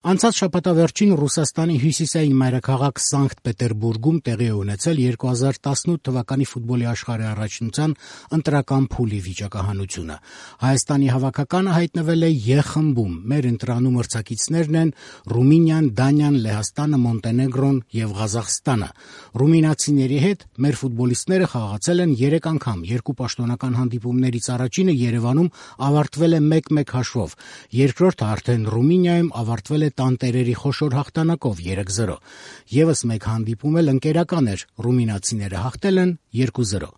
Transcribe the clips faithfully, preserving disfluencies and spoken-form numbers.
Անցած շաբաթավերջին Ռուսաստանի հյուսիսային մայրաքաղաք Սանկտ Պետերբուրգում տեղի է ունեցել երկու հազար տասնութ թվականի ֆուտբոլի աշխարհի առաջնության ընտրական փուլի վիճակահանությունը։ Հայաստանի հավաքականը հայտնվել է Ե խմբում։ Մեր ընտրանում մրցակիցներն են Ռումինիան, Դանիան, Լեհաստանը, Մոնտենեգրոն եւ Ղազախստանը։ Ռումինացիների հետ մեր ֆուտբոլիստները խաղացել են երեք անգամ։ Երկու պաշտոնական հանդիպումներից առաջինը Երևանում ավարտվել է մեկ մեկ հաշվով։ Երկրորդը արդեն Ռումինիայում ավարտվել է տանտերերի խոշոր հաղթանակով երեք զրո։ Եվս մեկ հանդիպում էլ ընկերական էր, ռումինացիները հաղթել են երկու զրո։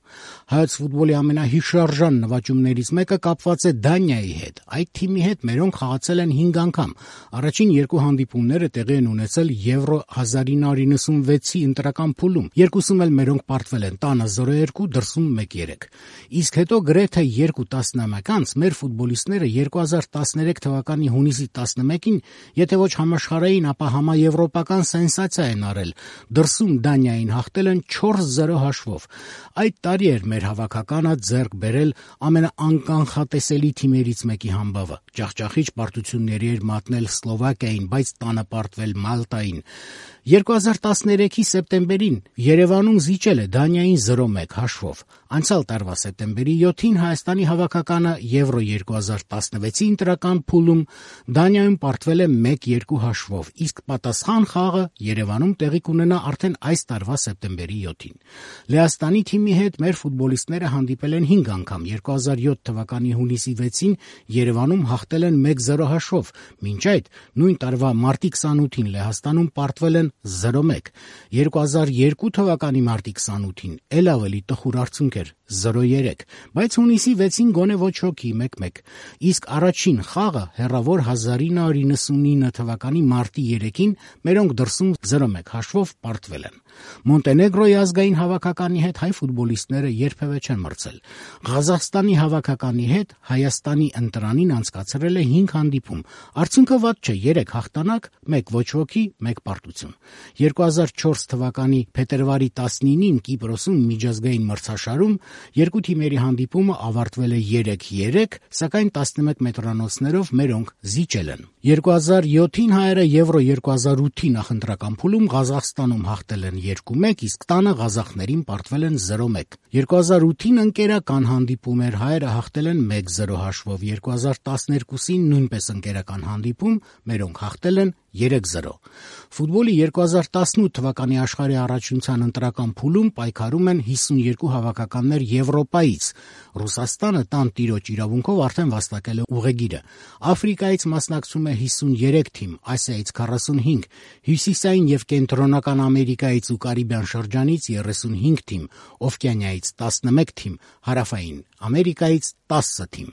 Հայոց ֆուտբոլի ամենահիշարժան նվաճումներից մեկը կապված է Դանիայի հետ։ Այդ թիմի հետ մերոնք խաղացել են հինգ անգամ։ Առաջին երկու հանդիպումները տեղի են ունեցել Եվրո հազար ինը հարյուր նվաթյոթի ընտրական փուլում։ Երկուսում էլ մերոնք պարտվել են տանը զրո երկու, դրսում մեկ երեք։ Իսկ հետո գրեթե երկու տասնամյակ անց մեր ֆուտբոլիստները երկու հազար տասներեք թվականի հունիսի տասնմեկին, եթե ոչ համաշխարհային, ապա համաեվրոպական սենսացիա են արել։ Դրսում Դանիային հաղթել են չորս զրո հաշվով։ Այդ տարի էր մեր հավաքականը ձեռք բերել ամենաանկանխատեսելի թիմերից մեկի համբավը։ Ջախջախիչ պարտությունների էր մատնել Սլովակիային, բայց տանը պարտվել Մալտային։ երկու հազար տասներեքի սեպտեմբերին Երևանում զիջել է Դանիային զրո մեկ հաշվով։ Անցյալ տարվա սեպտեմբերի յոթին Հայաստանի հավաքականը Եվրո երկու հազար տասնվեցի ընտրական փուլում Դանիայում պարտվել է մեկ երկու հաշվով, իսկ պատասխան խաղը Երևանում տեղի կունենա արդեն այս տարվա սեպտեմբերի յոթին։ Լեհաստանի թիմի հետ մեր ֆուտբոլիստները հանդիպել են հինգ անգամ։ երկու հազար յոթ թվականի հունիսի վեցին Երևանում հաղթել են մեկ զրո հաշվով։ Մինչ այդ նույն տարվա մարտի քսանութին Լեհաստանում պարտվել են զրո մեկ։ երկու հազար երկու թվականի մարտի քսանութին էլ ավելի տխուր արդյունք էր՝ զրո երեք, բայց հունիսի վեցին գոնե ոչ ոքի մեկ մեկ։ Իսկ առաջին խաղը հեռավոր հազար ինը հարյուր նվաթյոթ թվականի մարտի երեքին մերոնք դրսում զրո մեկ հաշվով պարտվել են։ Մոնտենեգրոյի ազգային հավաքականի հետ հայ ֆուտբոլիստները երբևէ չեն մրցել։ Ղազախստանի հավաքականի հետ Հայաստանի ընտրանին անցկացրել է հինգ հանդիպում։ Արդյունքը վատ չէ՝ երեք հաղթանակ, մեկ ոչ ոքի, մեկ պարտություն։ երկու հազար չորս թվականի փետրվարի տասնինին Կիպրոսում միջազգային մրցաշարում երկու թիմերի հանդիպումը ավարտվել է երեք երեք, սակայն տասնմեկ մետրանոցներով մերոնք զիջել են։ երկու հազար յոթին հայերը Եվրո երկու հազար ութի նախընտրական փուլում Ղազախստանում հաղթել են երկու մեկ, իսկ տանը ղազախներին պարտվել են զրո մեկ։ երկու հազար ութին ընկերական հանդիպում էր, հայերը հաղթել են մեկ զրո հաշվով։ երկու հազար տասներկուսին նույնպես ընկերական հանդիպում, մերոնք հաղթել են երեք զրո։ Ֆուտբոլի երկու հազար տասնութ թվականի աշխարհի առաջնության ընտրական փուլում պայքարում են հիսունյոթ հավաքականներ Եվրոպայից։ Ռուսաստանը տան տիրոջ իրավունքով արդեն վաստակել է ուղեգիրը։ Աֆրիկայից մասնակցում է հիսունյուրեք թիմ, Ասիայից քառասունհինգ, Հյուսիսային եւ Կենտրոնական Ամերիկայից ու Կարիբյան շրջանից երեսունհինգ թիմ, Օվկիանիայից տասնմեկ թիմ, Հարավային Ամերիկայից տասը թիմ։